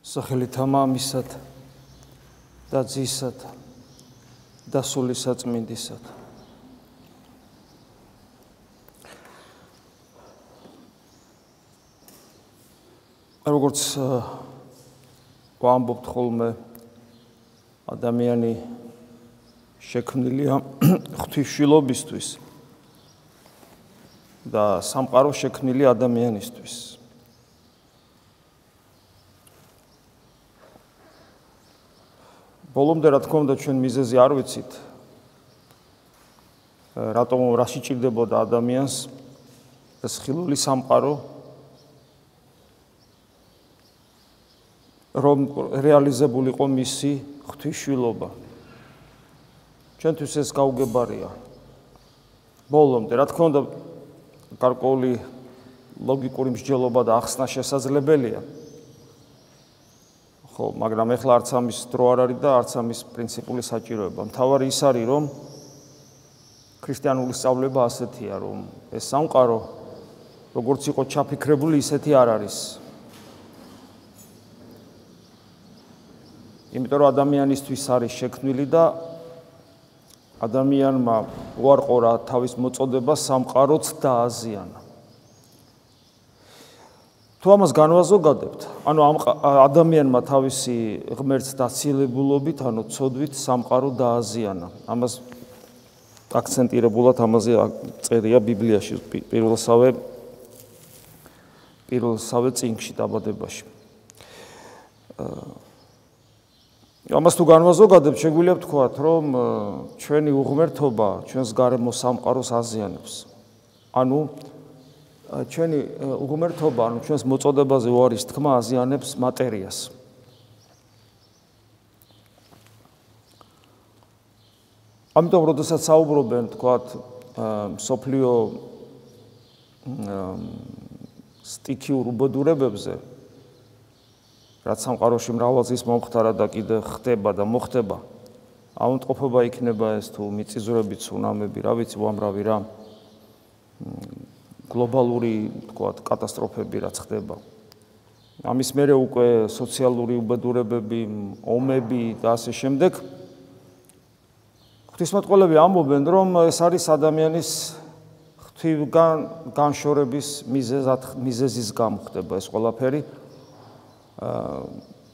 სახელითა მამისად და ძისად და სული საწმინდისად. როგორც ვამბობთ ხოლმე, ადამიანი შექმნილია ღვთისმშობლობისთვის და სამყარო შექმნილია ადამიანისთვის. ბოლომდე რა თქმა უნდა ჩვენ მიზეზი არ ვიცით, რატომ რაში ჭირდებოდა ადამიანს ეს ხილული სამყარო, რომ რეალიზებულიყო მისი ღვთისმშობლობა. ჩვენთვის ეს გაუგებარია. ბოლომდე რა თქმა უნდა გარკვეული ლოგიკური მსჯელობა და ახსნა შესაძლებელია. ხო, მაგრამ ეხლა არც ამის დრო არ არის და არც ამის პრინციპული საჭიროება. მთავარი ის არის, რომ ქრისტიანული სწავლება ასეთია, რომ ეს სამყარო როგორც იყო ჩაფიქრებული, ისეთი არ არის. იმიტომ რომ ადამიანისთვის არის შექმნილი და ადამიანმა უარყო თავის მოწოდება სამყაროც დააზიანა. თუ ამას განვაზოგადებთ, ანუ ადამიანმა თავისი ღმერთს დაცილებულობით, ანუ ცოდვით სამყარო დააზიანა. ამას აქცენტირებულად ამაზე წერია ბიბლიაში პირველსავე წიგნში დაბადებაში. ამას თუ განვაზოგადებთ, შეგვიძლია ვთქვათ, რომ ჩვენი უღმერთობა ჩვენს გარემო სამყაროს აზიანებს. ანუ ჩვენი უღმერთობა, ანუ ჩვენს მოწოდებაზე უარის თქმა აზიანებს მატერიას. ამიტომ, როდესაც საუბრობენ, თქვათ, მსოფლიო სტიქიურ უბედურებებზე, რაც სამყაროში მრავალწლის მომხდარა და კიდე ხდება და მოხდება, აუნტყოფობა იქნება ეს თუ მიწისძვრები, ცუნამები, რა ვიცი, უამრავი რა. გლობალური, თქვათ, კატასტროფები რაც ხდება. ამის მერე უკვე სოციალური უბედურებები, ომები და ასე შემდეგ. ღვთისმეტყველები ამბობენ, რომ ეს არის ადამიანის ღვთისგან განშორების მიზეზის გამო ხდება ეს ყველაფერი.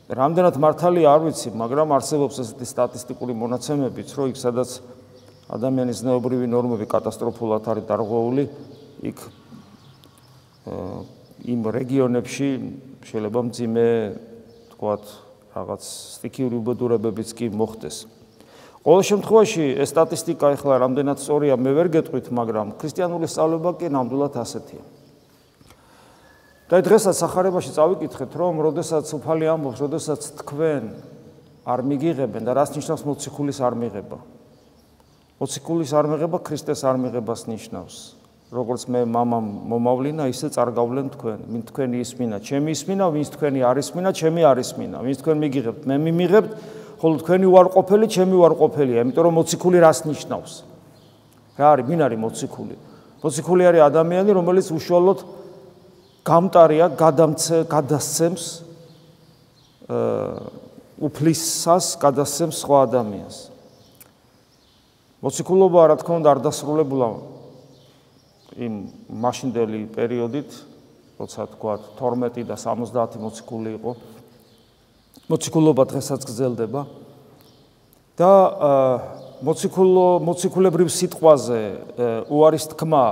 რამდენად მართალია არ ვიცი, მაგრამ არსებობს ესეთი სტატისტიკური მონაცემებიც, რომ იქ სადაც ადამიანის ზნეობრივი ნორმები კატასტროფულად არის დარღვეული, იქ იმ რეგიონებში შეიძლება მძიმე, თქვათ, რაღაც სტიქიური უბედურებებიც კი მოხდეს. ყოველ შემთხვევაში ეს სტატისტიკა ეხლა რამდენად სწორია, მე ვერ გეტყვით, მაგრამ ქრისტიანული სწავლება კი ნამდვილად ასეთია. და დღესაც სახარებაში წავიკითხეთ, რომ როდესაც უფალი ამბობს, როდესაც თქვენ არ მიგიღებენ და რას ნიშნავს მოციქულის არ მიღება? მოციქულის არ მიღება ქრისტეს არ მიღებას ნიშნავს. როგორც მე მამამ მომავლინა, ისე წარგავლენ თქვენ. ვინ თქვენი ისმინა, ჩემი ისმინა, ვინც თქვენი არ ისმინა, ჩემი არ ისმინა. ვინც თქვენ მიგიღებთ, მე მიმიღებთ, ხოლო თქვენი უარყოფელი, ჩემი უარყოფელია. იმიტომ რომ მოციქული რას ნიშნავს? რა არის, ვინ არის მოციქული? მოციქული არის ადამიანი, რომელიც უშუალოდ გამტარია, გადასცემს უფლისას, გადასცემს სხვა ადამიანს. მოციქულობა, რა თქმა უნდა, არ დასრულებულა იმ მაშინდელი პერიოდით, როცა თქვათ 12 და 70 მოციქული იყო. მოციქულობა დღესაც გრძელდება და მოციქულებრივ სიტყვაზე უარის თქმა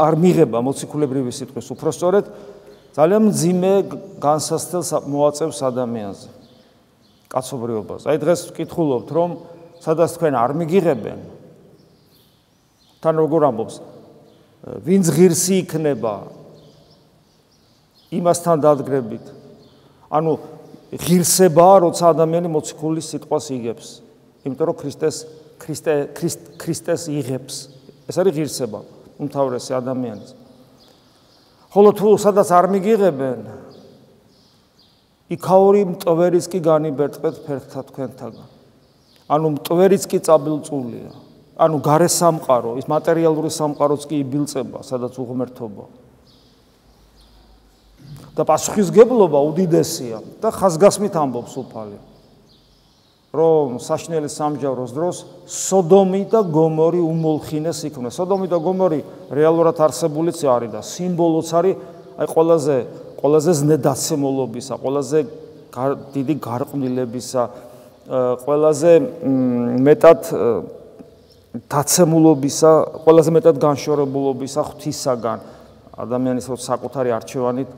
არ მიღება მოციქულებრივი სიტყვის, უпростоრედ ძალიან მძიმე განსასწრელს მოაწევს ადამიანზე, კაცობრიობაზე. აი დღეს ვკითხულობთ, რომ სადაც თქვენ არ მიგიღებენ, თან როგორ ამბობს, ვინც ღირსი იქნება იმასთან დადგრებით. ანუ ღირსებაა, როცა ადამიანი მოციქულის სიტყვას იგებს, იმიტომ რომ ქრისტეს იღებს. ეს არის ღირსება, უმთავრესი ადამიანის. ხოლო თუ სადაც არ მიგიღებენ, იქაური მტვერიც კი განიბერტყეთ ფერხთა თქვენთაგან. ანუ მტვერიც კი წაბილწულია. ანუ გარე სამყარო, ის მატერიალური სამყაროც კი იბილწება, სადაც უღმერთობა. და პასუხისგებლობა უდიდესია და ხაზგასმით ამბობს უფალი, რომ საშინელი სამსჯავროს დროს სოდომი და გომორი უმოლხინეს იქმნეს. სოდომი და გომორი რეალურად არსებულიც არის და სიმბოლოც არის აი ყველაზე ზნედაცემულობისა, ყველაზე დიდი გარყვნილებისა, ყველაზე მეტად დაცემულობისა, ყველაზე მეტად განშორებულობისა ღვთისაგან ადამიანის საკუთარი არჩევანით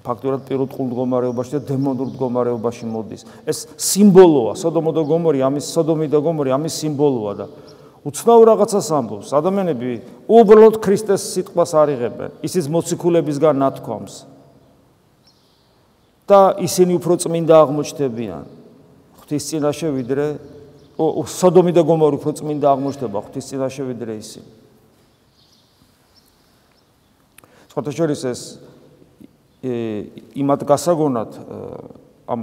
ფაქტურად პირუტყულ მდგომარეობაში და დემონურ მდგომარეობაში მოდის. ეს სიმბოლოა, სოდომი და გომორი ამის სიმბოლოა და უცნაურ რაღაცას ამბობს. ადამიანები უბრალოდ ქრისტეს სიტყვას არ იღებენ, ისიც მოციქულებისგან ნათქვამს. და ისინი უფრო წმინდა აღმოჩნდებიან ღვთის წინაშე ვიდრე სოდომი და გომორი უფრო წმინდა აღმოჩნდება ღვთის წინაშე ვიდრე ისინი. სხვათა შორის ეს იმად გასაგონად ამ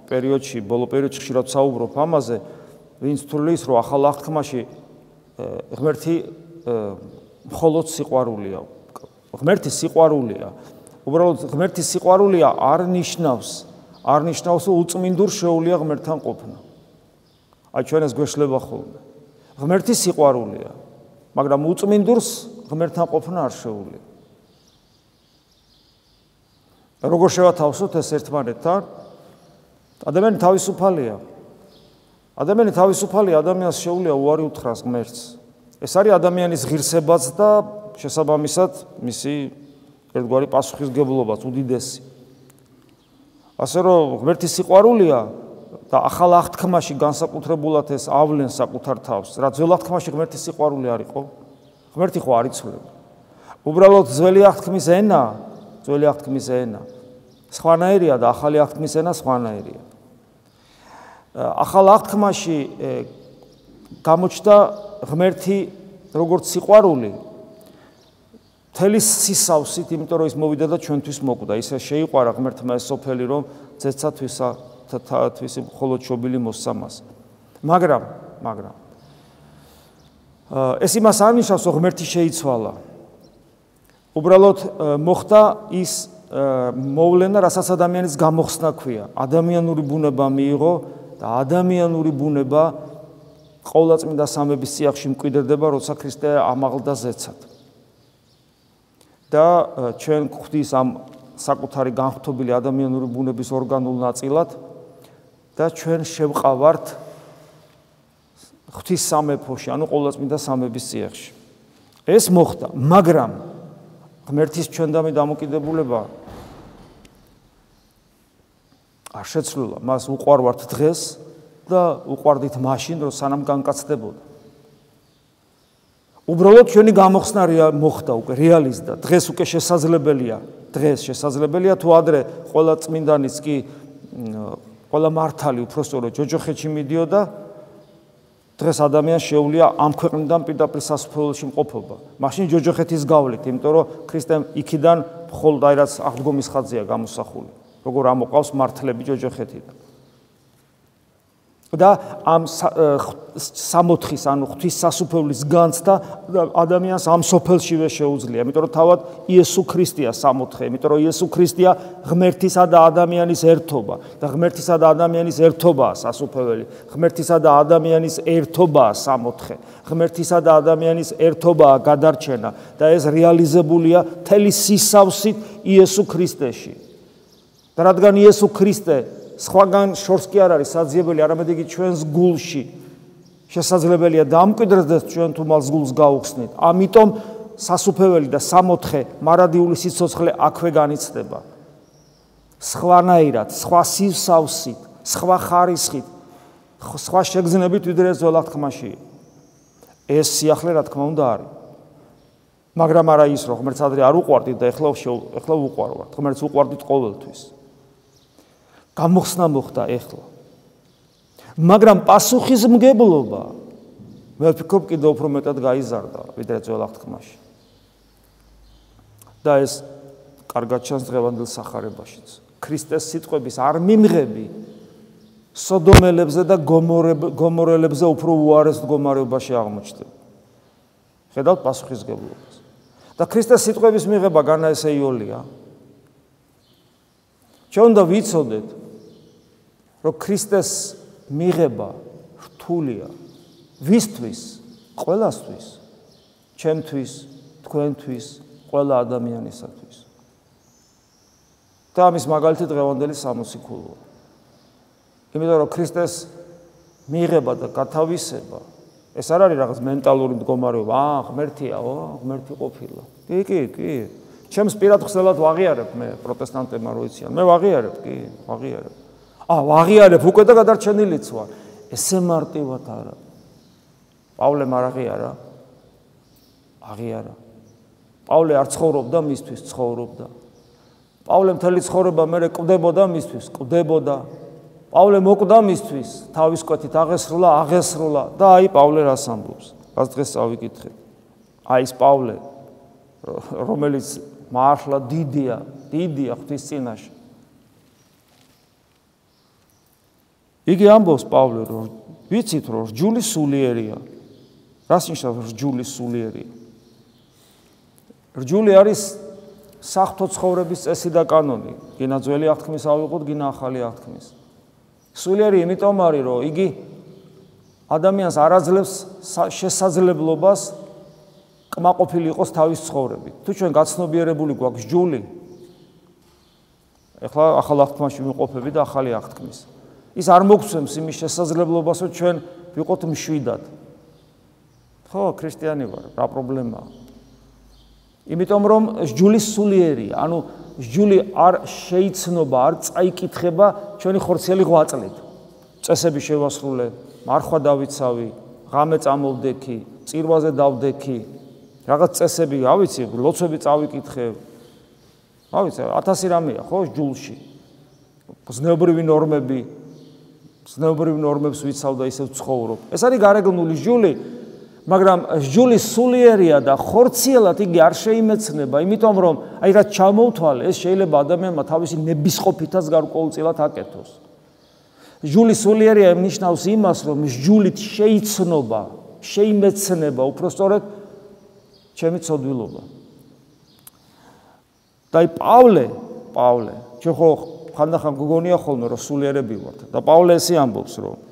პერიოდში, ბოლო პერიოდში ხშირად საუბრობ ამაზე, ვინც თulis რომ ახალ აღთქმაში ღმერთი მხოლოდ სიყვარულია. ღმერთის სიყვარულია. უბრალოდ ღმერთის სიყვარულია არ ნიშნავს რომ უწმინდურ შეუძლია ღმერთთან ყოფნა. აი ჩვენ ეს გვეშლება ხოლმე. ღმერთი სიყვარულია, მაგრამ უწმინდურს ღმერთთან ყოფნა არ შეუძლია. როგორ შევათავსოთ ეს ერთმანეთთან? ადამიანი თავისუფალია. ადამიანს შეუძლია უარი უთხრას ღმერთს. ეს არის ადამიანის ღირსებაც და შესაბამისად მისი ერთგვარი პასუხისგებლობაც უდიდესი. ასე რომ ღმერთის სიყვარულია და ახალ აღთქმაში განსაკუთრებულად ეს ავლენს საკუთარ თავს. რა ძველ აღთქმაში ღმერთის სიყვარული არ იყო? ღმერთი ხო არ იცვლება. უბრალოდ ძველი აღთქმის ენა სხვანაირია და ახალი აღთქმის ენა სხვანაირია. ახალ აღთქმაში გამოჩნდა ღმერთი როგორც სიყვარული მთელი სისავსით, იმიტომ რომ ის მოვიდა და ჩვენთვის მოკვდა. ისე შეიყვარა ღმერთმა ეს სოფელი, რომ ძეცა თვისი მხოლოდ შობილი მოსცა მას. მაგრამ ეს იმას არ ნიშნავს, რომ ღმერთი შეიცვალა. უბრალოდ მოხდა ის მოვლენა, რასაც ადამიანის გამოხსნა ქვია. ადამიანური ბუნება მიიღო და ადამიანური ბუნება ყოვლადწმინდა სამების წიაღში მკვიდრდება, როცა ქრისტე ამაღლდა ზეცად. და ჩვენ ხვდის ამ საკუთარი განხთობილი ადამიანური ბუნების ორგანულ ნაწილად და ჩვენ შევყავართ ღვთის სამეფოში, ანუ ყოვლადწმინდა სამების წიაღში. ეს მოხდა, მაგრამ ღმერთის ჩვენდამი დამოკიდებულება არ შეცვლილა. მას უყვარვართ დღეს და უყვარდით მაშინ, რომ სანამ განკაცდებოდა. უბრალოდ ჩვენი გამოხსნა მოხდა უკვე რეალიზდა. დღეს უკვე შესაძლებელია თუ ადრე ყველა წმინდანის კი ყველა მართალი უпростоრო ჯოჯოხეთში მიდიოდა. დღეს ადამიანს შეუძლია ამ ქვეყნიდან პირდაპირ სასუფეველში მყოფობა. მაშინ ჯოჯოხეთის გავლით, იმიტომ რომ ქრისტემ იქიდან მხოლოდ აი რაც აღდგომის ხაზია გამოსახული. როგორ ამოყავს მართლები ჯოჯოხეთიდან. და ამ სამოთხის, ანუ ღვთის სასუფეველის განცდა ადამიანს ამ სოფელშივე შეუძლია, იმიტომ რომ თავად იესო ქრისტეა სამოთხე, იმიტომ რომ იესო ქრისტეა ღმერთისა და ადამიანის ერთობა და ღმერთისა და ადამიანის ერთობაა სასუფეველი, ღმერთისა და ადამიანის ერთობაა სამოთხე, ღმერთისა და ადამიანის ერთობაა გადარჩენა და ეს რეალიზებულია მთელი სისავსით იესო ქრისტეში. და რადგან იესო ქრისტე სხვაგან შორს კი არ არის საძიებელი, არამედ იგი ჩვენს გულში შესაძლებელია დამკვიდრდეს ჩვენ თუ მას გულს გაუხსნით. ამიტომ სასუფეველი და სამოთხე მარადიული სიცოცხლე აქვე განიცდება. სხვანაირად, სხვა სისავსით, სხვა ხარისხით, სხვა შეგრძნებით ვიდრე ძველ აღთქმაში. ეს სიახლე რა თქმა უნდა არის. მაგრამ არა ის, რომ ღმერთს ადრე არ უყვარდით და ეხლა უყვარვართ. ღმერთს უყვარდით ყოველთვის. გამოხსნა მოხდა ეხლა. მაგრამ პასუხისმგებლობა მე ვფიქრობ კიდევ უფრო მეტად გაიზარდა ვიდრე ძველ აღთქმაში. და ეს კარგად ჩანს დღევანდელ სახარებაშიც. ქრისტეს სიტყვების არ მიმღები სოდომელებზე და გომორელებზე უფრო უარეს მდგომარეობაში აღმოჩნდება. ხედავთ პასუხისმგებლობას. და ქრისტეს სიტყვების მიღება განაესეიოლია. ჩვენ უნდა ვიცოდეთ, რომ ქრისტეს მიღება რთულია ვისთვის? ყველასთვის, ჩემთვის, თქვენთვის, ყველა ადამიანისათვის. და ამის მაგალითი დღევანდელი სამოციქულოა. იმიტომ რომ ქრისტეს მიღება და გათავისება ეს არ არის რაღაც მენტალური მდგომარეობა, ღმერთია, ღმერთი ყოფილა. კი. ჩემს პირად ხსნელად ვაღიარებ მე პროტესტანტებმა რო იციან. მე ვაღიარებ, ვაღიარებ. ვაღიარებ უკვე და გადარჩენილიც ვარ. ესე მარტივად არა. პავლემ არ აღიარა. აღიარა. პავლე არ ცხოვრობდა მისთვის, ცხოვრობდა. პავლე მთელი ცხოვრება მერე კვდებოდა მისთვის, კვდებოდა. პავლე მოკვდა მისთვის, თავის კვეთით აღესრულა და აი პავლე რას ამბობს? რას დღეს წავიკითხეთ. აი ეს პავლე, რომელიც მართლა დიდია ღვთის წინაშე. იგი ამბობს პავლე, რომ ვიცით, რომ რჯული სულიერია. რას ნიშნავს რჯული სულიერია? რჯული არის საღვთო ცხოვრების წესი და კანონი. გინა ძველი აღთქმის ავიღოთ, გინა ახალი აღთქმის. სულიერი იმიტომ არის, რომ იგი ადამიანს არ აძლევს შესაძლებლობას კმაყოფილი იყოს თავის ცხოვრებით. თუ ჩვენ გაცნობიერებული გვაქვს რჯული, ეხლა ახალ აღთქმაში ვიმყოფები და ახალი აღთქმის. ის არ მოგცემს იმის შესაძლებლობას, რომ ჩვენ ვიყოთ მშვიდად. ხო, ქრისტიანი ვარ, რა პრობლემაა? იმიტომ რომ რჯული სულიერია, ანუ რჯული არ შეიცნობა, არ წაიკითხება ჩვენი ხორციელი ღვაწლით. წესები შევასრულე, მარხვა დავიცავი, ღამე წამოვდექი, წირვაზე დავდექი, რაღაც წესები, ავიცი, ლოცვები წავიკითხე. ავიცი, 1000 რამეა, ხო, რჯულში. ზნეობრივი ნორმებს ვიცავ და ისევ ცხოვრობ. ეს არის გარეგნული რჯული. მაგრამ რჯული სულიერია და ხორციელად იგი არ შეიმეცნება, იმიტომ რომ აი რაც ჩამოვთვალე, ეს შეიძლება ადამიანმა თავისი ნებისყოფითაც გარკვეულწილად აკეთოს. რჯული სულიერია ნიშნავს იმას, რომ რჯულით შეიმეცნება უпростоრად ჩემი ცოდვილობა. და აი პავლე, ჩვენ ხო ხანდახან გგონია ხოლმე, რომ სულიერები ვართ და პავლე ესე ამბობს, რომ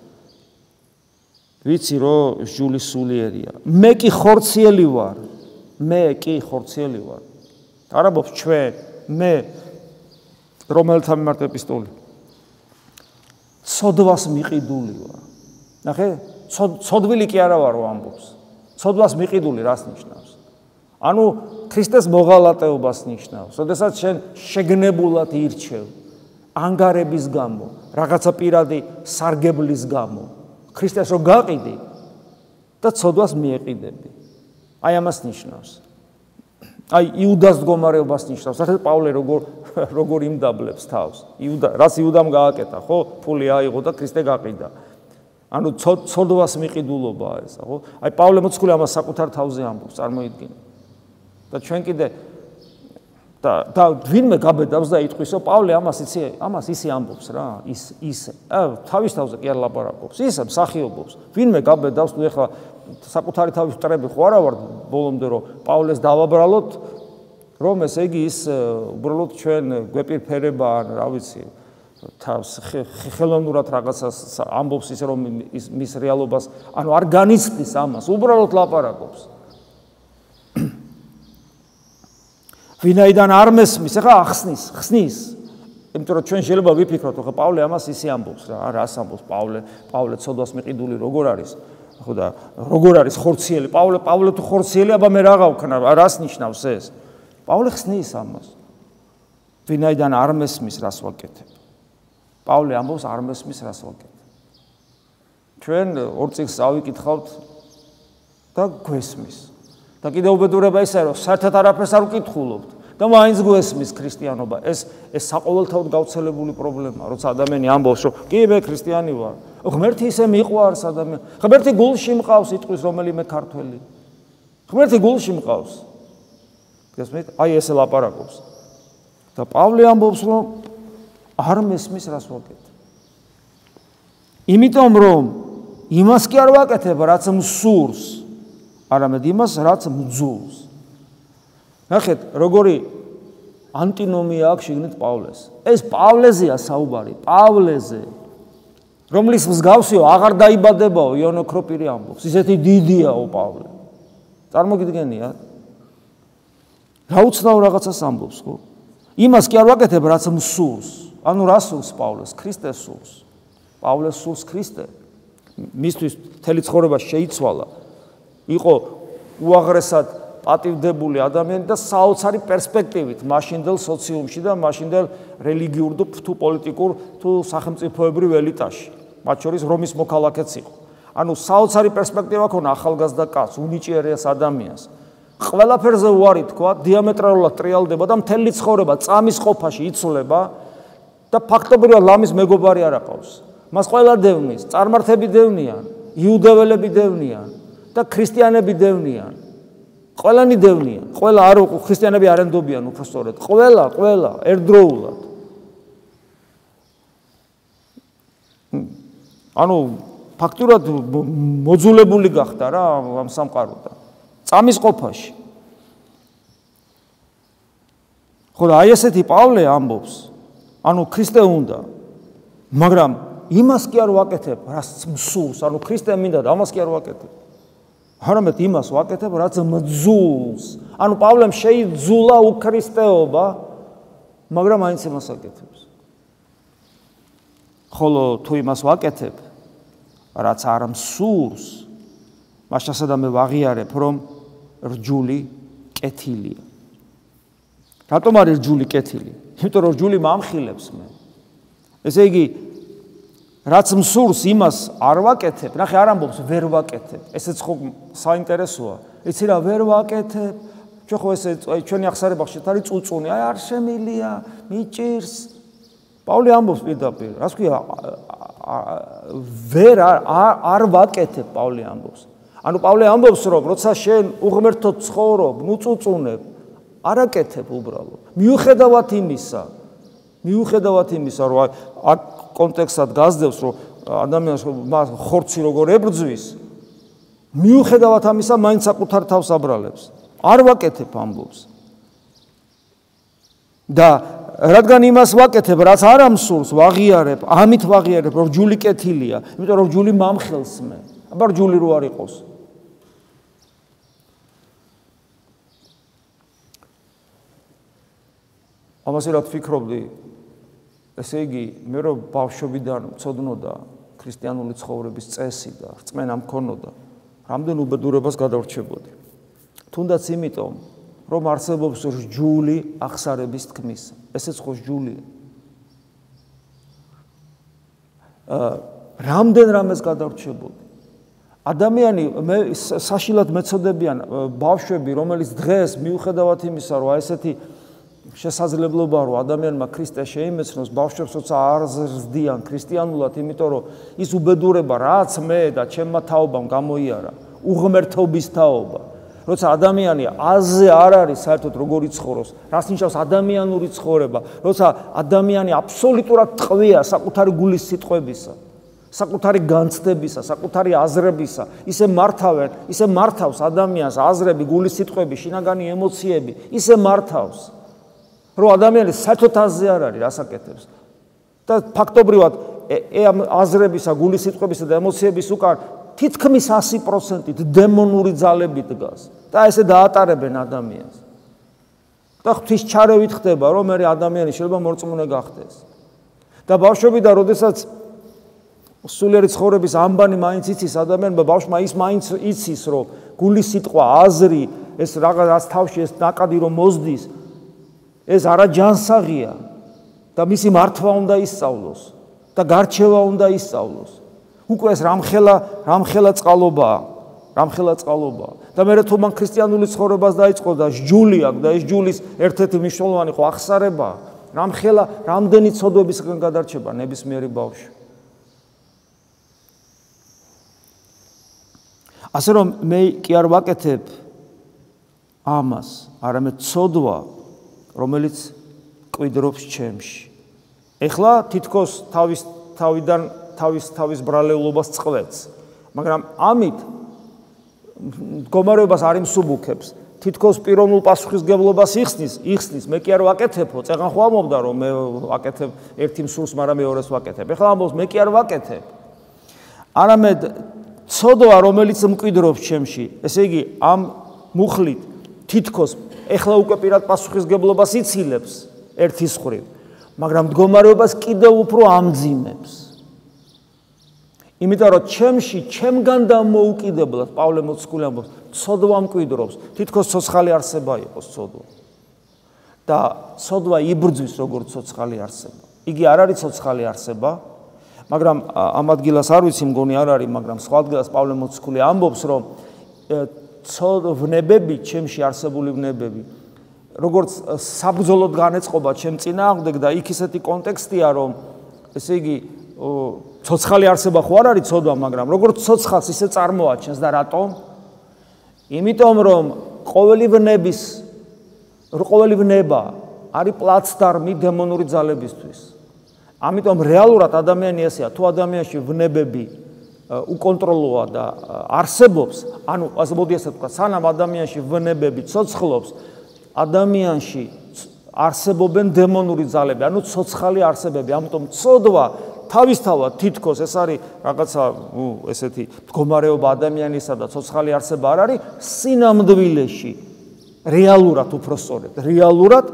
ვიცი რომ რჯული სულიერია. მე კი ხორციელი ვარ. არ ამბობს ჩვენ, მე რომელთა მიმართ ეპისტოლე. ცოდვას მიყიდული ვარ. ნახე, ცოდვილი კი არა ვარო ამბობს. ცოდვას მიყიდული რას ნიშნავს? ანუ ქრისტეს მოღალატეობას ნიშნავს. როდესაც შენ შეგნებულად ირჩევ ანგარების გამო, რაღაცა პირადი სარგებლის გამო. ქრისტეს რო გაყიდი და ცოდვას მიეყიდები. აი ამას ნიშნავს. აი იუდას მდგომარეობას ნიშნავს. საერთოდ პავლე როგორ იმდაბლებს თავს. რაც იუდამ გააკეთა, ხო? ფული აიღო და ქრისტე გაყიდა. ანუ ცოდვას მიყიდულობაა ეს, ხო? აი პავლე მოციქული ამას საკუთარ თავზე ამბობს, წარმოიდგინე. და ჩვენ კიდე და ვინმე გაბედავს და იტყვის, რომ პავლე ამას ისე ამბობს რა, ისე. თავის თავზე კი არ ლაპარაკობს, ისე მსახიობობს. ვინმე გაბედავს, თუ ეხლა საკუთარი თავის მტრები ხო არა ვარ ბოლომდე, რომ პავლეს დავაბრალოთ, რომ ესე იგი ის უბრალოდ ჩვენ გვეპირფერება, რა ვიცი, თავს ხელოვნურად რაღაცას ამბობს ისე, რომ მის რეალობას, ანუ არ განიცდის ამას, უბრალოდ ლაპარაკობს. ვინაიდან არ მესმის, ახლა ხსნის. იმიტომ რომ ჩვენ შეიძლება ვიფიქროთ, ხო პავლე ამას ისე ამბობს რა, რას ამბობს პავლე ცოდვას მიყიდული როგორ არის? ხო და როგორ არის ხორციელი? პავლე თუ ხორციელი, აბა მე რაღა ვქნა, რას ნიშნავს ეს? პავლე ხსნის ამას. ვინაიდან არ მესმის, რას ვაკეთებ? პავლე ამბობს არ მესმის, რას ვაკეთებ. ჩვენ ორ წიგნს წავიკითხავთ და გვესმის. და კიდევ უბედურება ისაა, რომ საერთოდ არაფერს არ ვკითხულობთ და მაინც გვესმის ქრისტიანობა. ეს საყოველთაოდ გავრცელებული პრობლემაა, როცა ადამიანი ამბობს, რომ კი მე ქრისტიანი ვარ. ღმერთი ისე მიყვარს ადამიანს. ღმერთი გულში მყავს, იტყვის რომელიმე ქართველი. ღმერთი გულში მყავს. გესმით? აი ესე ლაპარაკობს. და პავლე ამბობს, რომ არ მესმის, რას ვაკეთებ. იმიტომ რომ იმას კი არ ვაკეთებ, რაც მსურს. არამედ იმას, რაც მძულს. ნახეთ, როგორი ანტინომია აქვს შიგნით პავლეს. ეს პავლეზეა საუბარი, პავლეზე. რომლის მსგავსიო აღარ დაიბადებაო იონო ქროპირი ამბობს. ისეთი დიდიაო პავლე. წარმოგიდგენიათ? რა უცნაურ რაღაცას ამბობს, ხო? იმას კი არ ვაკეთებ, რაც მსურს. ანუ რა სურს პავლეს? ქრისტეს სურს. პავლეს სურს ქრისტე. მისთვის მთელი ცხოვრება შეიცვალა. იყო უაღრესად პატივდებული ადამიანი და საოცარი პერსპექტივით მაშინდელ სოციუმში და მაშინდელ რელიგიურ თუ პოლიტიკურ თუ სახელმწიფოებრივ ელიტაში, მათ შორის რომის მოქალაქეც იყო. ანუ საოცარი პერსპექტივა ქონა ახალგაზრდა კაცს, უნიჭიერეს ადამიანს. ყველაფერზე უარი თქვა, დიამეტრალურად ტრიალდება და მთელი ცხოვრება წამის ყოფაში იცვლება და ფაქტობრივად ლამის მეგობარი არ აყავს. მას ყველა დევნის, წარმართები დევნიან, იუდეველები დევნიან და ქრისტიანები დევნიან. ყველანი დევნიან, ყველა არ ქრისტიანები არ ენდობიან უბრალოდ, ყველა ერთდროულად. ანუ ფაქტურად მოძულებული გახდა რა ამ სამყაროდან. წამის ყოფაში. ხო და აი ესეთი პავლე ამბობს, ანუ ქრისტე უნდა, მაგრამ იმას კი არ ვაკეთებ, რაც მსურს, ანუ ქრისტე მინდა და ამას კი არ ვაკეთებ. არამედ იმას ვაკეთებ, რაც მძულს. ანუ პავლემ შეიძულა უქრისტეობა, მაგრამ აინც იმას აკეთებს. ხოლო თუ იმას ვაკეთებ, რაც არ მსურს, მაშინ სადამე ვაღიარებ, რომ რჯული კეთილია. რატომ არის რჯული კეთილი? იმიტომ რომ რჯული მამხილებს მე. ესე იგი, რაც მსურს იმას არ ვაკეთებ, ნახე არ ამბობს ვერ ვაკეთებ. ესეც ხო საინტერესოა. იცი რა ვერ ვაკეთებ? ჩვენ ხო ესე ჩვენი აღსარებაში არის წუწუნი, აი არ შემილია, მიჭირს. პავლე ამბობს პირდაპირ, რას ქვია? ვერ არ ვაკეთებ, პავლე ამბობს. ანუ პავლე ამბობს, რომ როცა შენ უღმერთო ცხოვრობ, ნუ წუწუნებ, არ აკეთებ უბრალოდ. მიუხედავად იმისა, რომ აქ კონტექსტად გასდევს, რომ ადამიანს ხორცი როგორ ებრძვის, მიუხედავად ამისა, მაინც საკუთარ თავს აბრალებს. არ ვაკეთებ ამბობს. და რადგან იმას ვაკეთებ, რაც არ ამსურს, ვაღიარებ, ამით ვაღიარებ, რომ რჯული კეთილია, იმიტომ რომ რჯული მამხელს მე. აბა რჯული რო არ იყოს. ამაზე რა ვფიქრობდი? ესე იგი, მე რომ ბავშვობიდან მცოდნოდა ქრისტიანული ცხოვრების წესი და რწმენა მქონოდა, რამდენ უბედურებას გადავრჩებოდი. თუნდაც იმიტომ, რომ არსებობს რჯული აღსარების თქმისა. ესეც ხო რჯულია. რამდენ რამეს გადავრჩებოდი. ადამიანი საშილად მეცოდებიან ბავშვები, რომელიც დღეს მიუხედავად იმისა, რომ ესეთი შესაძლებლობა რომ ადამიანმა ქრისტე შეიმეცნოს, ბავშვებს როცა არ ზრდიან ქრისტიანულად, იმიტომ რომ ის უბედურება, რაც მე და ჩემმა თაობამ გამოიარა, უღმერთობის თაობა, როცა ადამიანი აზზე არ არის საერთოდ როგორი ცხოვრობს, რას ნიშნავს ადამიანური ცხოვრება, როცა ადამიანი აბსოლუტურად ტყვია საკუთარი გულის სიტყვებისა, საკუთარი განცდებისა, საკუთარი აზრებისა, ისე მართავს ადამიანს აზრები, გულის სიტყვები, შინაგანი ემოციები, ისე მართავს. რომ ადამიანი საერთოდ აზზე არ არის, რას აკეთებს. და ფაქტობრივად ამ აზრებისა, გულის სიტყვებისა და ემოციების უკან თითქმის 100%-ით დემონური ძალები დგას და ესე დაატარებენ ადამიანს. და ღვთისჩარევით ხდება, რომ მე ადამიანი შეიძლება მორწმუნე გახდეს. და ბავშვობიდან, როდესაც სულიერი ცხოვრების ამბანი მაინც იცის ადამიანმა, ბავშვმა ის მაინც იცის, რომ გულის სიტყვა, აზრი, ეს რაღაც თავში ეს ნაკადი რომ მოსდის, ეს არა ჯანსაღია და მისი მართვა უნდა ისწავლოს და გარჩევა უნდა ისწავლოს. უკვე ეს რამხელა წყალობაა. და მე თუ მან ქრისტიანული ცხოვრებას დაიწყო და სჯული აქვს და ეს სჯულის ერთ-ერთი მნიშვნელოვანი ხო ახსარებაა. რამდენი ცოდვებისგან გადარჩება ნებისმიერი ბავშვი. ასე რომ მე კი არ ვაკეთებ ამას, არამედ ცოდვა, რომელიც კვიდრობს ჩემში. ეხლა თითქოს თავის ბრალეულობას წყვეტს, მაგრამ ამით მდგომარეობას არ იმსუბუქებს, თითქოს პიროვნულ პასუხისგებლობას იხსნის, მე კი არ ვაკეთებო, წეგან ხო ამობდა რომ მე ვაკეთებ ერთი მსურს, მაგრამ მეორეს ვაკეთებ. ეხლა ამბობს მე კი არ ვაკეთებ. არამედ ცოდვა, რომელიც მკვიდრობს ჩემში, ესე იგი ამ მუხლით თითქოს ეხლა უკვე პირად პასუხისგებლობას იცილებს ერთის მხრივ, მაგრამ მდგომარეობას კიდევ უფრო ამძიმებს. იმიტომ რომ ჩემგან დამოუკიდებლად პავლე მოციქული ამბობს, ცოდვა მკვიდრობს, თითქოს ცოცხალი არსება იყოს ცოდვა. და ცოდვა იბრძვის როგორც ცოცხალი არსება. იგი არ არის ცოცხალი არსება, მაგრამ ამ ადგილას არ ვიცი, მგონი არ არის, მაგრამ სხვა ადგილას პავლე მოციქული ამბობს, რომ ვნებები, ჩემში არსებული ვნებები, როგორც საბრძოლოდ განეწყობა ჩემ წინააღმდეგ და იქ ისეთი კონტექსტია, რომ ესე იგი ცოცხალი არსება ხო არ არის ცოდვა, მაგრამ როგორც ცოცხალს ისე წარმოაჩენს და რატომ? იმიტომ რომ ყოველი ვნება არის პლაცდარმი დემონური ძალებისთვის. ამიტომ რეალურად ადამიანი ესეა, თუ ადამიანში ვნებები უკონტროლოა და არსებობს, ანუ ასე მოდი ასე ვთქვა, სანამ ადამიანში ვნებები ცოცხლობს, ადამიანში არსებობენ დემონური ძალები, ანუ ცოცხალი არსებები. ამიტომ ცოდვა თავისთავად თითქოს ეს არის რაღაცა, ესეთი მდგომარეობა ადამიანისა და ცოცხალი არსება არ არის, სინამდვილეში რეალურად უფრო სწორედ, რეალურად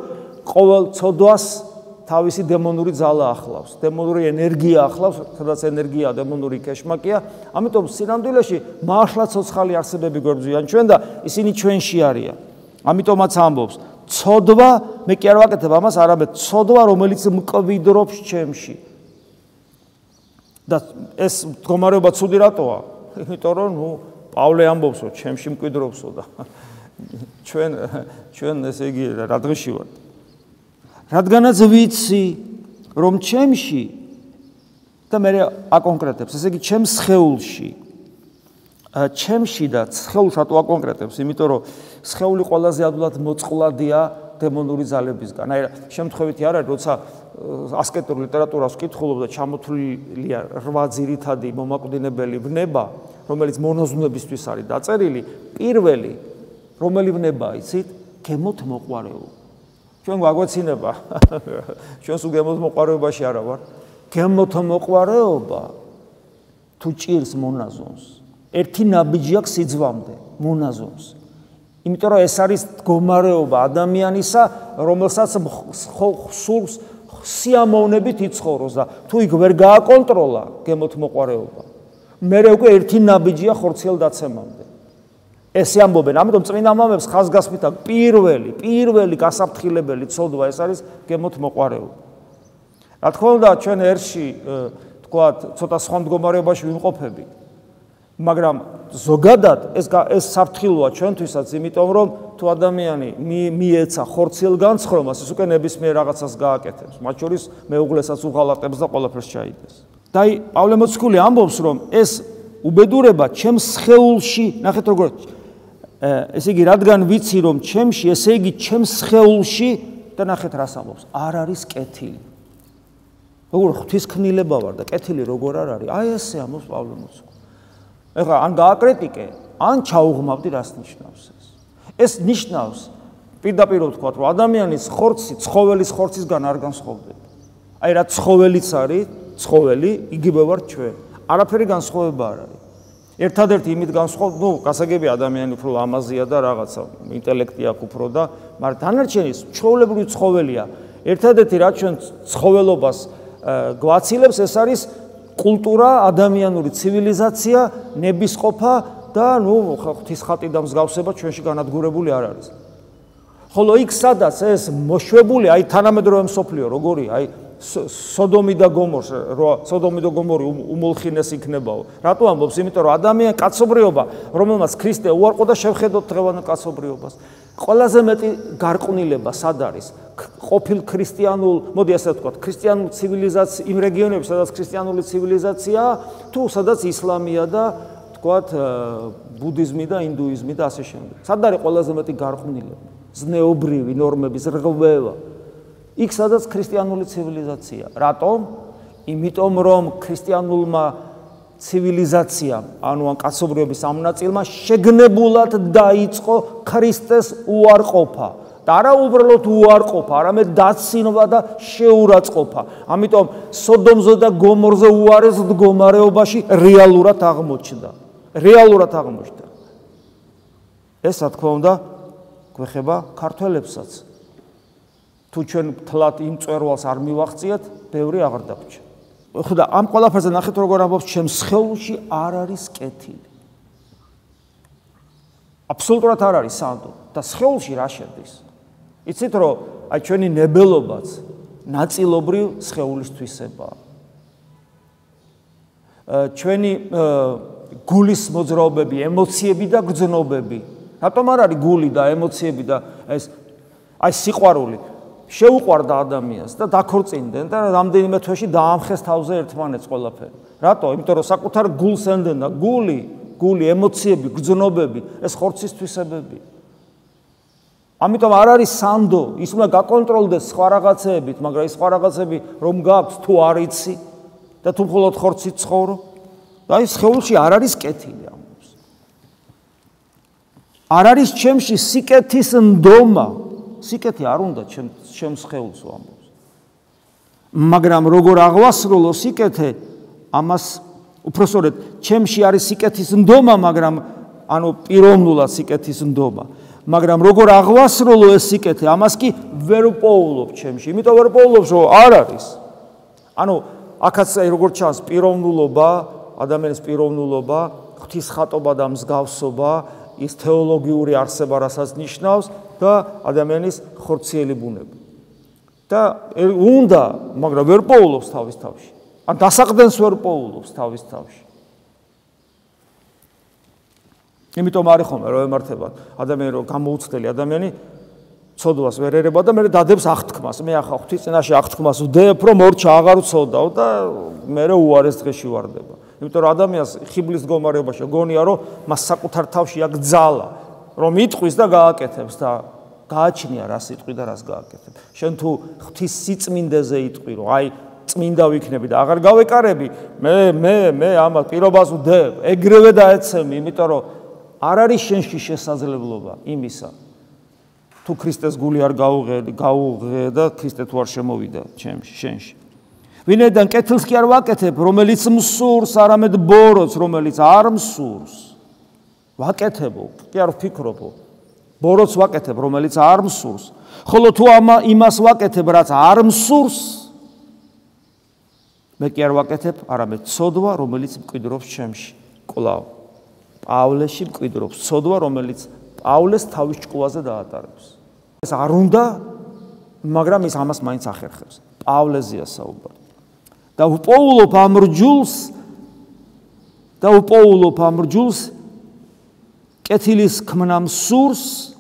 ყოველ ცოდვას თავისი დემონური ძალა ახლავს, დემონური ენერგია ახლავს, სადაც ენერგია დემონური კეშმაკია, ამიტომ სინამდვილეში მართლა ცოცხალი არსებები გვერდზიან ჩვენ და ისინი ჩვენში არიან. ამიტომაც ამბობს, ცოდვა, მე კი არ ვაკეთებ ამას, არამედ ცოდვა, რომელიც მკვიდრობს ჩემში. და ეს მდგომარეობა ცუდი რატოა? იმიტომ რომ პავლე ამბობს, რომ ჩემში მკვიდრობსო და ჩვენ ესე იგი რა დღეში ვართ. რადგანაც ვიცი, რომ ჩემში და მე აკონკრეტებს, ესე იგი ჩემს სხეულში, ჩემში და სხეულს რატო აკონკრეტებს? იმიტომ რომ სხეული ყველაზე ადვილად მოწყვლადია დემონური ძალებისგან. აი შემთხვევითი არ არის, როცა ასკეტურ ლიტერატურას ვკითხულობ და ჩამოთვლილია 8 ძირითადი მომაკვდინებელი ვნება, რომელიც მონაზვნებისთვის არის დაწერილი, პირველი რომელი ვნებაა, იცით? გემოთ მოყვარეობა. ჩვენ გვაგვეცინება, ჩვენ სულ გემოთ მოყვარეობაში არა ვარ. გემოთ მოყვარეობა თუ ჭირს მონაზონს, ერთი ნაბიჯი აქვს სიძვამდე, მონაზონს. იმიტომ რომ ეს არის მდგომარეობა ადამიანისა, რომელსაც სულს სიამოვნებით იცხოვროს და თუ იქ ვერ გააკონტროლა გემოთ მოყვარეობა, მერე უკვე ერთი ნაბიჯია ხორციელდაცემამდე. ესე ამბობენ, ამიტომ წმინდა მამებს ხაზგასმით აქვს პირველი გასაფრთხილებელი ცოდვა ეს არის გემოთ მოყვარეობა. რა თქმა უნდა, ჩვენ ერთში თქვათ, ცოტა სხვა მდგომარეობაში ვიმყოფებით, მაგრამ ზოგადად ეს საფრთხილოა ჩვენთვისაც, იმიტომ რომ თუ ადამიანი მიეცა ხორციელ განცხრომას, ეს უკვე ნებისმიერ რაღაცას გააკეთებს, მათ შორის მეუღლესაც უღალატებს და ყველაფერს ჩაიდეს. და პავლე მოციქული ამბობს, რომ ეს უბედურება ჩემს სხეულში, ნახეთ როგორ ესე იგი, რადგან ვიცი, რომ ჩემში, ესე იგი, ჩემს სხეულში და ნახეთ რას ამბობს, არ არის კეთილი. როგორ ღვთისქმნილება ვარ და კეთილი როგორ არ არის? აი ესე ამბობს პავლე მოციქული. ეხლა ან გააკრიტიკე, ან ჩაუღმავდი რას ნიშნავს ეს. ეს ნიშნავს, პირდაპირ ვთქვათ, რომ ადამიანის ხორცი ცხოველის ხორცისგან არ განსხვავდება. აი რა ცხოველიც არის, ცხოველი, იგივე ვარ ჩვენ. არაფერი განსხვავება არ არის. ერთადერთი იმით განსხვავდება, გასაგებია ადამიანი უფრო ლამაზია და რაღაცა ინტელექტი აქვს უფრო და, მაგრამ დანარჩენი ჩვეულებრივი ცხოველია. ერთადერთი რაც ჩვენ ცხოველობას გვაცილებს, ეს არის კულტურა, ადამიანური ცივილიზაცია, ნებისყოფა და ღვთის ხატი და მსგავსება ჩვენში განადგურებული არ არის. ხოლო იქ სადაც ეს მოშვებული, აი თანამედროვე მსოფლიო როგორი, აი სოდომი და გომორი უმოლხინეს იქნებაო. რატო ამბობს? იმიტომ რომ ადამიანი კაცობრიობა, რომელმაც ქრისტე უარყო და შევხედოთ დღევანდელ კაცობრიობას. ყველაზე მეტი გარყვნილება სად არის? ყოფილ ქრისტიანულ, მოდი ასე ვთქვათ, ქრისტიანულ ცივილიზაცია, იმ რეგიონებში, სადაც ქრისტიანული ცივილიზაციაა, თუ სადაც ისლამია და ვთქვათ, ბუდიზმი და ინდუიზმი და ასე შემდეგ. სად არის ყველაზე მეტი გარყვნილება? ზნეობრივი ნორმების რღვევა. იქ სადაც ქრისტიანული ცივილიზაცია. რატომ? იმიტომ რომ ქრისტიანულმა ცივილიზაციამ, ანუ ან კაცობრიობის ამ ნაწილმა შეგნებულად დაიწყო ქრისტეს უარყოფა. და არა უბრალოდ უარყოფა, არამედ დაცინვა და შეურაცხყოფა. ამიტომ სოდომზე და გომორზე უარეს მდგომარეობაში რეალურად აღმოჩნდა. ეს რა თქმა უნდა გვეხება ქართველებსაც. თუ ჩვენ თლად იმ წვერვალს არ მივახციეთ, ბევრი აღარ დაგვრჩა. ხოდა ამ ყველაფერზე ნახეთ როგორ ამბობს ჩემს სხეულში არ არის კეთილი. აბსოლუტურად არ არის სანდო და სხეულში რა შედის? იცით რომ აი ჩვენი ნებელობაც ნაწილობრივ სხეულის თვისებაა. ჩვენი გულის მოძრაობები, ემოციები და გრძნობები. რატომ არ არის გული და ემოციები და ეს აი სიყვარული შეუყვარდა ადამიანს და დაქორწინდნენ და რამდენიმე თვეში დაამხეს თავზე ერთმანეთს ყველაფერი. რატო? იმიტომ რომ საკუთარ გულს ენდენ და გული, ემოციები, გრძნობები, ეს ხორცის თვისებებია. ამიტომ არ არის სანდო, ის უნდა გაკონტროლდეს სხვა რაღაცეებით, მაგრამ ის სხვა რაღაცები რომ გაქვს თუ არ იცი და თუ მხოლოდ ხორცით ცხოვრობ, აი სხეულში არ არის კეთილი ამბობს. არ არის ჩემში სიკეთის ნდომა. სიკეთი არ უნდა ჩემს სხეულს ამბობს. მაგრამ როგორ აღვასრულო სიკეთე, ამას უпроსორეთ, ჩემში არის სიკეთის ნდომა, მაგრამ ანუ პიროვნულად სიკეთის ნდომა. მაგრამ როგორ აღვასრულო ეს სიკეთე, ამას კი ვერ პოულობ ჩემში. იმიტომ ვერ პოულობ, რომ არ არის. ანუ აქაც როგორ ჩანს პიროვნულობა, ადამიანის პიროვნულობა, ღვთისხატობა და მსგავსობა, ის თეოლოგიური არსება, რასაც ნიშნავს და ადამიანის ხორციელი ბუნება. და უნდა, მაგრამ ვერ პოულობს თავის თავში. ან დასაყდენს ვერ პოულობს თავის თავში. იმიტომ არის ხომ რომ ემართება ადამიანი რომ გამოუცდელი ადამიანი ცოდვას ვერ ერება და მე დადებს აღთქმას. მე ახლა ღვთის წინაშე აღთქმას ვდებ, რომ მორჩა აღარ ვცოდავ და მე უარეს დღეში ვარდება. იმიტომ რომ ადამიანს ხიბლის მდგომარეობაში გონია რომ მას საკუთარ თავში აქვს ძალა, რომ იტყვის და გააკეთებს და გააჩნია რა სიტყვი და რას გააკეთებ. შენ თუ ღვთის სიწმინდეზე იტყვი, რომ აი წმინდა ვიქნები და აღარ გავეკარები, მე ამას პირობას ვდებ, ეგრევე დაეცემი, იმიტომ რომ არ არის შენში შესაძლებლობა იმისა. თუ ქრისტეს გული არ გაუღე და ქრისტე თუ არ შემოვიდა შენში. ვინაიდან კეთილს კი არ ვაკეთებ, რომელიც მსურს, არამედ ბოროტს, რომელიც არ მსურს. ვაკეთებო, კი არ ვფიქრობო. ბოროტს ვაკეთებ, რომელიც არ მსურს. ხოლო თუ იმას ვაკეთებ, რაც არ მსურს, მე კი არ ვაკეთებ, არამედ ცოდვა, რომელიც მკვიდრობს ჩემში. კვლავ პავლეში მკვიდრობს ცოდვა, რომელიც პავლეს თავის ჭკუაზე დაატარებს. ეს არ უნდა, მაგრამ ის ამას მაინც ახერხებს. პავლეზეა საუბარი. და უპოულობ ამ რჯულს კეთილის ქმნა მსურს,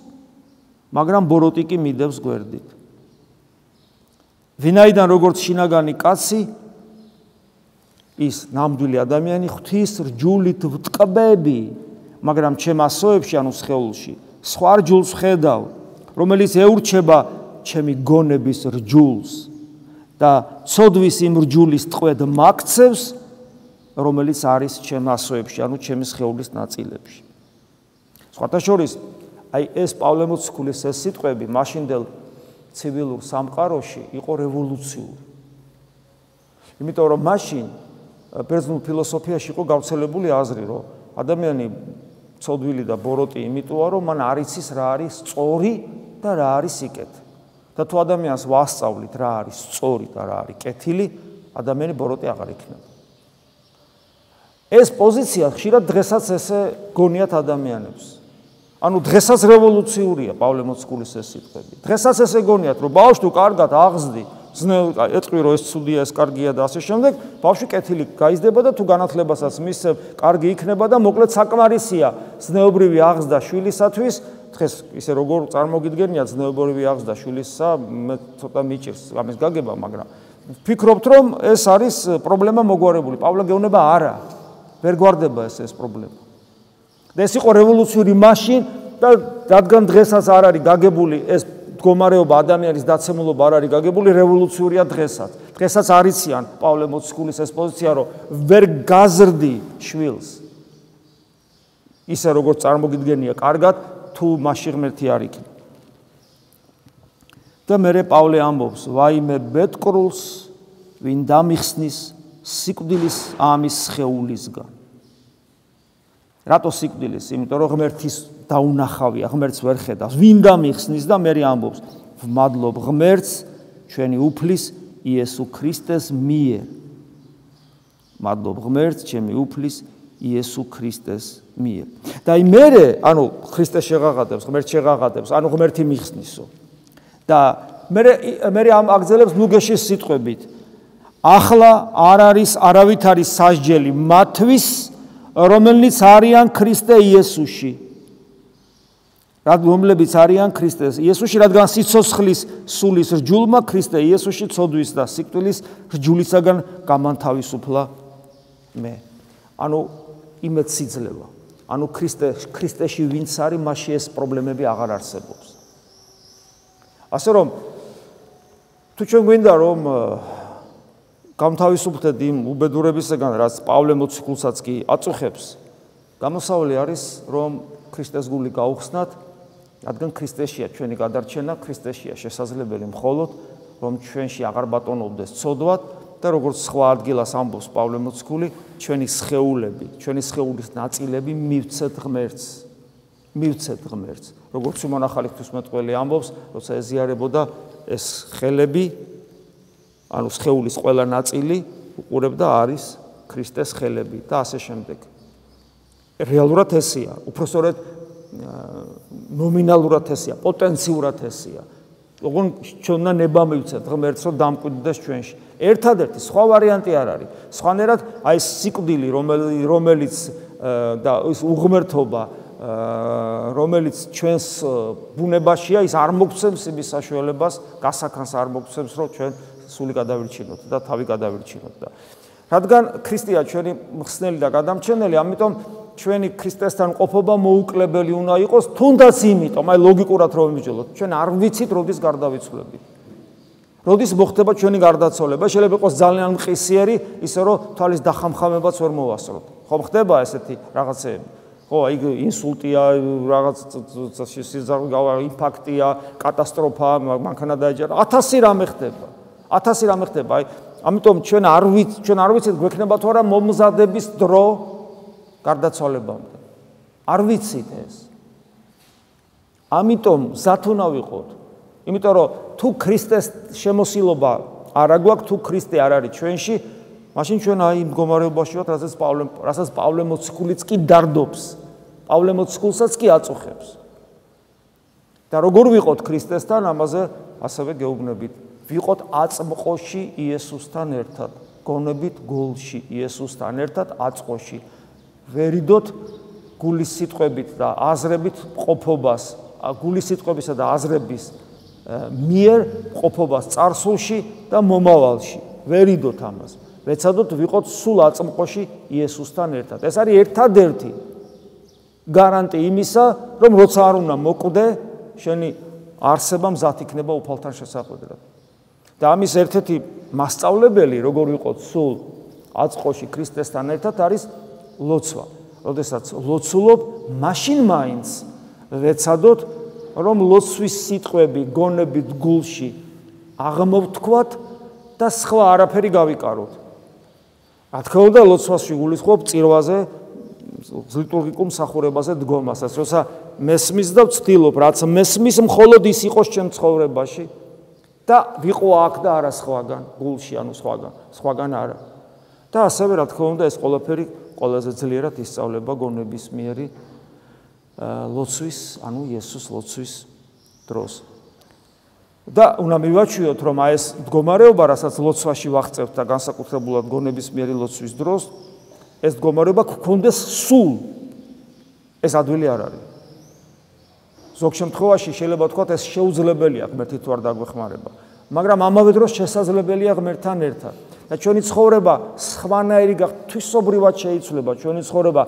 მაგრამ ბოროტი კი მიდევს გვერდით. ვინაიდან როგორც შინაგანი კაცი, ის ნამდვილი ადამიანი ღვთის რჯულით ვტკბები, მაგრამ ჩემ ასოებში, ანუ სხეულში, სხვა რჯულს ვხედავ, რომელიც ეურჩება ჩემი გონების რჯულს და ცოდვის იმ რჯულის ტყვედ მაქცევს, რომელიც არის ჩემ ასოებში, ანუ ჩემი სხეულის ნაწილებში. სხვათა შორის, აი ეს პავლე მოციქულის ეს სიტყვები მაშინდელ ცივილურ სამყაროში იყო რევოლუციური. იმიტომ რომ მაშინ ბერძნულ ფილოსოფიაში იყო გავრცელებული აზრი, რომ ადამიანი ცოდვილი და ბოროტი იმიტოა, რომ მან არ იცის რა არის სწორი და რა არის სიკეთე. და თუ ადამიანს ვასწავლით რა არის სწორი და რა არის კეთილი, ადამიანი ბოროტი აღარ იქნება. ეს პოზიცია ხშირად დღესაც ესე გონიათ ადამიანებს. ანუ დღესაც რევოლუციურია პავლე მოციქულის ეს სიტყვები. დღესაც ესე გონიათ, რომ ბავშვი თუ კარგად აღზრდი, ეტყვი რომ ეს ცუდია, ეს კარგია და ასე შემდეგ, ბავშვი კეთილი გაიზრდება და თუ განათლებასაც მისცემ, კარგი იქნება და მოკლედ საკმარისია ზნეობრივი აღზრდა შვილისათვის. დღეს ისე როგორ წარმოგიდგენია ზნეობრივი აღზრდა შვილისა, მე ცოტა მიჭირს ამის გაგება, მაგრამ ვფიქრობთ რომ ეს არის პრობლემა მოგვარებული. პავლე გეუბნება არა, ვერ გვარდება ეს პრობლემა. და ეს იყო რევოლუციური მაშინ და რადგან დღესაც არ არის გაგებული ეს მდგომარეობა ადამიანის დაცემულობა არ არის გაგებული რევოლუციურია დღესაც. დღესაც არიციან პავლე მოციქულის ეს პოზიცია, რომ ვერ გაზრდი შვილს. ისე როგორც წარმოგიდგენია კარგად, თუ მასში ღმერთი არ იქნება. და მერე პავლე ამბობს, ვაიმე ბედკრულს, ვინ დამიხსნის სიკვდილის ამის სხეულისგან. რატო სიკვდილის? იმიტომ რომ ღმერთის დაუნახავია, ღმერთს ვერ ხედავს. ვინ დამიხსნის და მერე ამბობს, ვმადლობ ღმერთს ჩვენი უფლის იესო ქრისტეს მიერ. მადლობ ღმერთს ჩემი უფლის იესო ქრისტეს მიერ. და მერე, ანუ ქრისტე შეღაღადებს, ღმერთ შეღაღადებს, ანუ ღმერთი მიხსნისო. და მერე ამ აგზელებს ნუგეშის სიტყვებით. ახლა არ არის არავით არის სასჯელი მათთვის, რომელნიც არიან ქრისტე იესოში. რომლებიც არიან ქრისტე იესოში, რადგან სიცოცხლის სულის რჯულმა ქრისტე იესოში ცოდვის და სიკვდილის რჯულისაგან გამანთავისუფლა მე. ანუ იმეც სიძლება. ანუ ქრისტეში ვინც არის, მასში ეს პრობლემები აღარ არსებობს. ასე რომ თუ ჩვენ გვინდა რომ გამთავისუფლდეთ იმ უბედურებისგან, რაც პავლე მოციქულსაც კი აწუხებს, გამოსავალი არის, რომ ქრისტეს გული გაუხსნათ, რადგან ქრისტეშია ჩვენი გადარჩენა, ქრისტეშია შესაძლებელი მხოლოდ, რომ ჩვენში აღარ ბატონობდეს ცოდვად და როგორც სხვა ადგილას ამბობს პავლე მოციქული, ჩვენი სხეულები, ჩვენი სხეულის ნაწილები მივცეთ ღმერთს. მივცეთ ღმერთს. როგორც უმონახალი ღვთისმეტყველი ამბობს, როცა ეზიარებოდა ეს ხელები, ანუ სხეულის ყველა ნაწილი უყურებდა არის ქრისტეს ხელები და ასე შემდეგ. რეალურად ესეა, უпроსორედ ნომინალურად ესეა, პოტენციურად ესეა. ოღონ ჩვენ უნდა ნება მივცეთ ღმერთს, რომ დამკვიდრდეს ჩვენში. ერთადერთი სხვა ვარიანტი არ არის. სხვანაირად აი ეს სიკვდილი, რომელიც და ის უღმერთობა, რომელიც ჩვენს ბუნებაშია, ის არ მოგცემს იმის საშუალებას, გასახანს არ მოგცემს, რომ ჩვენ სული გადავირჩინოთ და თავი გადავირჩინოთ და რადგან ქრისტეა ჩვენი მხსნელი და გადამჩენელი, ამიტომ ჩვენი ქრისტესთან ყოფობა მოუკლებელი უნდა იყოს, თუნდაც იმიტომ, აი ლოგიკურად რომ ვიმსჯელოთ, ჩვენ არ ვიცით როდის გარდავიცვლებით. როდის მოხდება ჩვენი გარდაცვალება, შეიძლება იყოს ძალიან მყისიერი, ისე რომ თვალის დახამხამებაც ვერ მოვასწროთ. ხო ხდება ესეთი რაღაცეები? ხო, აი ინსულტია, რაღაც ინფარქტია, კატასტროფა, მანქანა დაეჯერა, 1000 რამე ხდება. 1000 რამე ხდება. აი, ამიტომ ჩვენ არ ვიცით გვექნება თუ არა მომზადების დრო გარდაცვალებამდე. არ ვიცით ეს. ამიტომ მზად უნდა ვიყოთ. იმიტომ რომ თუ ქრისტეს შემოსილობა არ აგვაქვს, თუ ქრისტე არ არის ჩვენში, მაშინ ჩვენ აი იმ მდგომარეობაში ვართ, რასაც პავლე მოციქულიც კი დარდობს. პავლე მოციქულსაც კი აწუხებს. და როგორ ვიყოთ ქრისტესთან, ამაზე ასევე გეუბნებით. ვიყოთ აწმყოში იესოსთან ერთად, გონებით გულში იესოსთან ერთად აწმყოში. ვერიდოთ გულის სიტყვებით და აზრებით ყოფობას, გულის სიტყვებისა და აზრების მიერ ყოფობას წარსულში და მომავალში. ვერიდოთ ამას. ვეცადოთ ვიყოთ სულ აწმყოში იესოსთან ერთად. ეს არის ერთადერთი გარანტი იმისა, რომ როცა არ უნდა მოკვდე, შენი არსება მზად იქნება უფალთან შესახვედრად. და ამის ერთ-ერთი მასწავლებელი, როგორ ვიყოთ სულ აწმყოში ქრისტესთან ერთად, არის ლოცვა. როდესაც ლოცულობ, მაშინ მაინც ვეცადოთ, რომ ლოცვის სიტყვები გონებით გულში აღმოვთქვათ და სხვა არაფერი გავიკაროთ. რა თქმა უნდა, ლოცვაში გულისხმობ წირვაზე, ლიტურგიკულ მსახურებაზე დგომასაც, როცა მესმის და ვცდილობ, რაც მესმის, მხოლოდ ის იყოს ჩემ ცხოვრებაში და ვიყო აქ და არა სხვაგან, გულში, ანუ სხვაგან არა. და ასევე, რა თქმა უნდა, ეს ყველაფერი ყველაზე ძლიერად ისწავლება გონებისმიერი ლოცვის, ანუ იესოს ლოცვის დროს. და უნდა მივაჩვიოთ, რომ აი ეს მდგომარეობა, რასაც ლოცვაში ვაღწევთ და განსაკუთრებულად გონებისმიერი ლოცვის დროს, ეს მდგომარეობა გქონდეს სულ. ეს ადვილი არ არის. ზოგ შემთხვევაში შეიძლება ვთქვათ, ეს შეუძლებელია ღმერთი თუ არ დაგვეხმარება, მაგრამ ამავე დროს შესაძლებელია ღმერთთან ერთად. და ჩვენი ცხოვრება სხვანაირი ღვთისმსობრივად შეიცვლება, ჩვენი ცხოვრება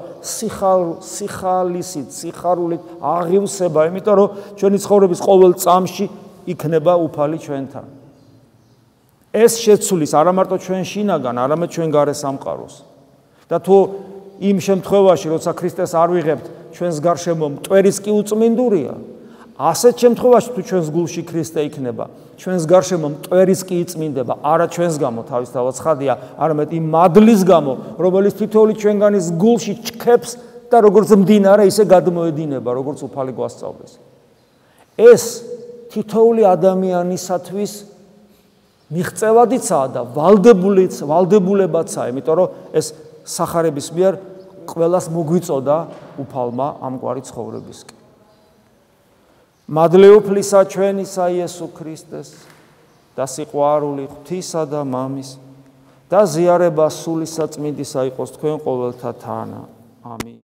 სიხალისით, სიხარულით აღივსება, იმიტომ რომ ჩვენი ცხოვრების ყოველ წამში იქნება უფალი ჩვენთან. ეს შეცვლის არა მარტო ჩვენ შინაგან, არამედ ჩვენ გარე სამყაროს. და თუ იმ შემთხვევაში, როცა ქრისტეს არ ვიღებთ, ჩვენს გარშემო მტვერიც კი უწმინდურია, ასეთ შემთხვევაში თუ ჩვენს გულში ქრისტე იქნება, ჩვენს გარშემო მტვერიც კი იწმინდება, არა ჩვენს გამო თავისთავად ცხადია, არამედ იმ მადლის გამო, რომელიც თითოეული ჩვენგანის გულში ჩქეფს და როგორც მდინარე, ისე გადმოედინება, როგორც უფალი გვასწავლის. ეს თითოეული ადამიანისათვის მიღწევადიცაა და ვალდებულებაცაა, იმიტომ რომ ეს სახარების მიერ ყველას მოგვიწოდა უფალმა ამგვარი ცხოვრებისკენ. მადლეუფლისა ჩვენისა იესო ქრისტეს და სიყვარული ღვთისა და მამის და ზიარება სულისა წმინდისა იყოს თქვენ ყოველთა თანა. ამინ.